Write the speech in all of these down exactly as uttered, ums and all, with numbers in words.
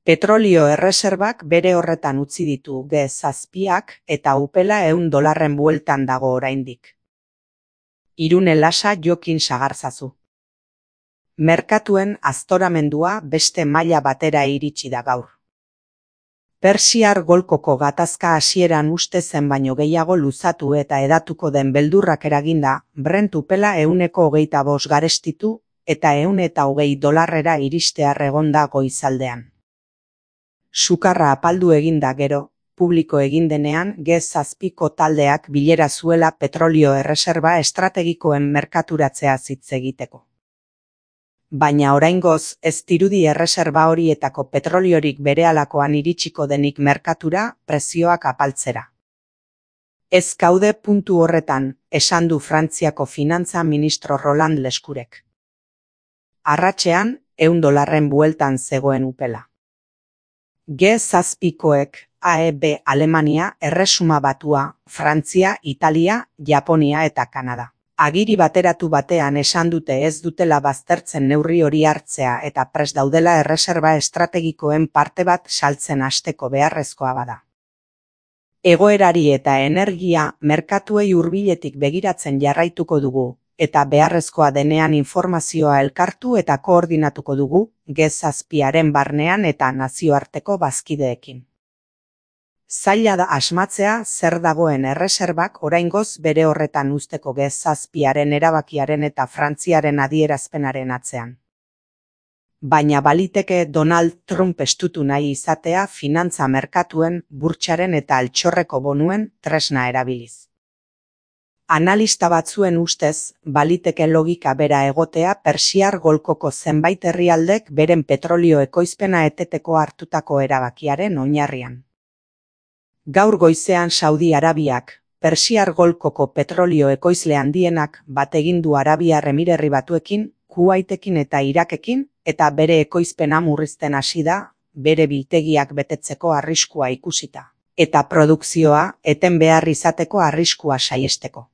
Petrolio erreserbak bere horretan utzi ditu G zazpiak eta upela ehun dolarren bueltan dago oraindik. Irune lasa jokin sagarzazu. Merkatuen aztoramendua beste maila batera iritsi da gaur. Persiar golkoko gatazka hasieran uste zen baino gehiago luzatu eta edatuko den beldurrak eraginda, Brent upela ehuneko hogeita bost garestitu eta ehun eta hogei dolarrera iristear egonda goizaldean. Sukarra apaldu eginda gero, publiko egin denean G zazpiko taldeak bilera zuela petrolio erreserba estrategikoen merkaturatzea hitz egiteko. Baina oraingoz ez dirudi erreserba horietako petroliorik berehalakoan iritsiko denik merkatura prezioak apaltzera. Ez gaude puntu horretan, esan du Frantziako finantza ministro Roland Lescurek. Arratsean, ehun dolarren bueltan zegoen upela. G zazpikoek A E B Alemania, Erresuma Batua, Frantzia, Italia, Japonia eta Kanada. Agiri bateratu batean esan dute ez dutela baztertzen neurri hori hartzea eta prest daudela erreserba estrategikoen parte bat saltzen hasteko beharrezkoa bada. Egoerari eta energia merkatuei hurbiletik begiratzen jarraituko dugu, eta beharrezkoa denean informazioa elkartu eta koordinatuko dugu G zazpiaren barnean eta nazioarteko bazkideekin. Zaila da asmatzea zer dagoen erreserbak oraingoz bere horretan uzteko G zazpiaren erabakiaren eta Frantziaren adierazpenaren atzean. Baina baliteke Donald Trump estutu nahi izatea finantza merkatuen, burtsaren eta altxorreko bonuen tresna erabiliz. Analista batzuen ustez, baliteke logika bera egotea Persiar golkoko zenbait herrialdek beren petrolio ekoizpena eteteko hartutako erabakiaren oinarrian. Gaur goizean Saudi Arabiak, Persiar golkoko petrolio ekoizle handienak bat egin du Arabiar Emirerri Batuekin, Kuwaitekin eta Irakekin, eta bere ekoizpena murrizten hasi da, bere biltegiak betetzeko arriskua ikusita, eta produkzioa eten behar izateko arriskua saihesteko.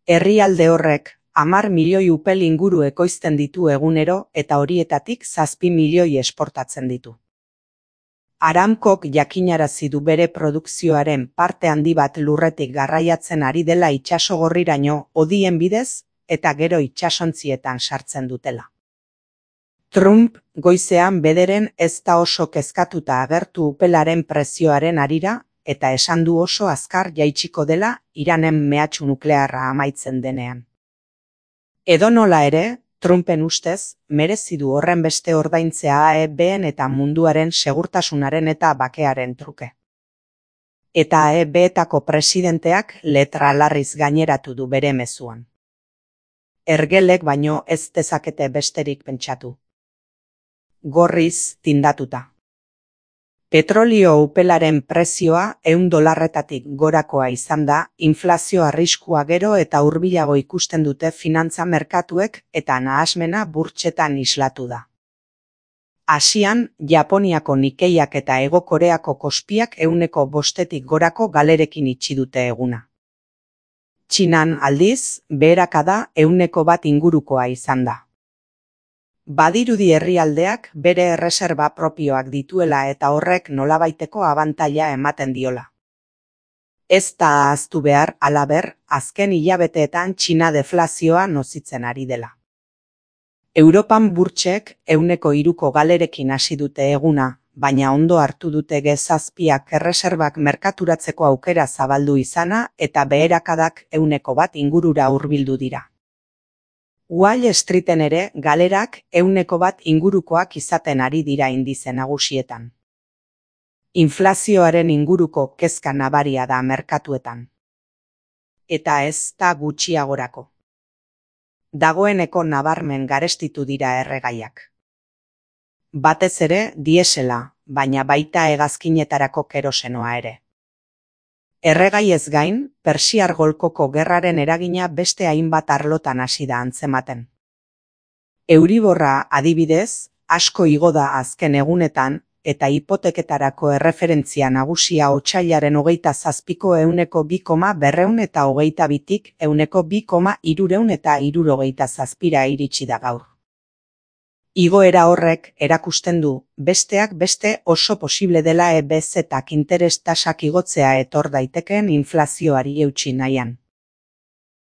Herrialde horrek, hamar milioi upel inguru ekoizten ditu egunero eta horietatik zazpi milioi esportatzen ditu. Aramcok jakinarazi du bere produkzioaren parte handi bat lurretik garraiatzen ari dela itsasogorriraino hodien bidez eta gero itsasontzietan sartzen dutela. Trump goizean bederen ez da oso kezkatuta agertu upelaren prezioaren harira eta esan du oso azkar jaitsiko dela Iranen mehatxu nuklearra amaitzen denean. Edonola ere, Trumpen ustez, merezi du horren beste ordaintzea A E B-en eta munduaren segurtasunaren eta bakearen truke. Eta A E B-etako presidenteak letra larriz gaineratu du bere mezuan. Ergelek baino ez dezakete besterik pentsatu. Gorriz tindatuta. Petrolio upelaren prezioa ehun dolarretatik gorakoa izan da, inflazio arriskua gero eta hurbilago ikusten dute finantza merkatuek eta nahasmena burtsetan islatu da. Asian, Japoniako Nikkeiak eta Hego Koreako Kospiak ehuneko bostetik gorako galerekin itxi dute eguna. Txinan aldiz, beherakada ehuneko bat ingurukoa izan da. Badirudi herrialdeak bere erreserba propioak dituela eta horrek nolabaiteko abantaila ematen diola. Ez da ahaztu behar, halaber, azken hilabeteetan Txina deflazioa nozitzen ari dela. Europan burtsek ehuneko hiruko galerekin hasi dute eguna, baina ondo hartu dute G zazpiak erreserbak merkaturatzeko aukera zabaldu izana eta beherakadak ehuneko bat ingurura hurbildu dira. Wall Streeten ere galerak ehuneko bat ingurukoak izaten ari dira indize nagusietan. Inflazioaren inguruko kezka nabaria da merkatuetan. Eta ez da gutxiagorako. Dagoeneko nabarmen garestitu dira erregaiak. Batez ere diesela, baina baita hegazkinetarako kerosenoa ere. Erregai ez gain, Persiar golkoko gerraren eragina beste hainbat arlotan hasi da antzematen. Euriborra adibidez, asko igo da azken egunetan, eta hipoteketarako erreferentzia nagusia otsailaren hogeita zazpiko ehuneko bi koma berrehun eta hogeita bitik ehuneko bi koma hirurehun eta hirurogeita zazpira iritsi da gaur. Igoera horrek erakusten du, besteak beste oso posible dela E B Z-ak interes tasak igotzea etor daitekeen inflazioari eutsi nahian.